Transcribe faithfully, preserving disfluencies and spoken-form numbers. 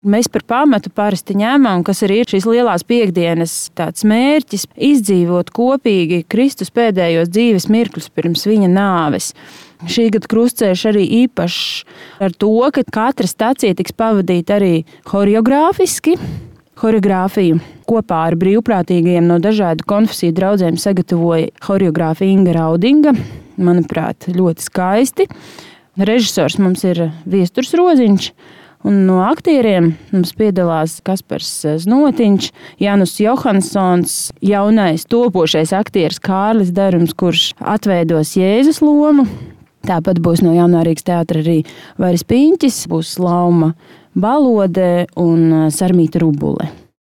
Mēs par pamatu parasti ņemam, kas arī ir šīs lielās piekdienas tāds mērķis, izdzīvot kopīgi Kristus pēdējos dzīves mirkļus pirms viņa nāves. Šī gada krustceļš arī īpašs ar to, ka katra stacija tiks pavadīta arī horeogrāfiski. Horeogrāfiju kopā ar brīvprātīgajiem no dažādu konfesiju draudzēm sagatavoja horeogrāfa Inga Raudinga. Manuprāt, ļoti skaisti. Režisors mums ir Viesturs Roziņš. Un no aktieriem mums piedalās Kaspars Znotiņš, Janus Johansons, jaunais topošais aktieris Kārlis Darums, kurš atveidos Jēzus lomu. Tāpat būs no Jaunā Rīgas teātra arī Vairis Piņķis, būs Lauma Balode un Sarmīta Rubule.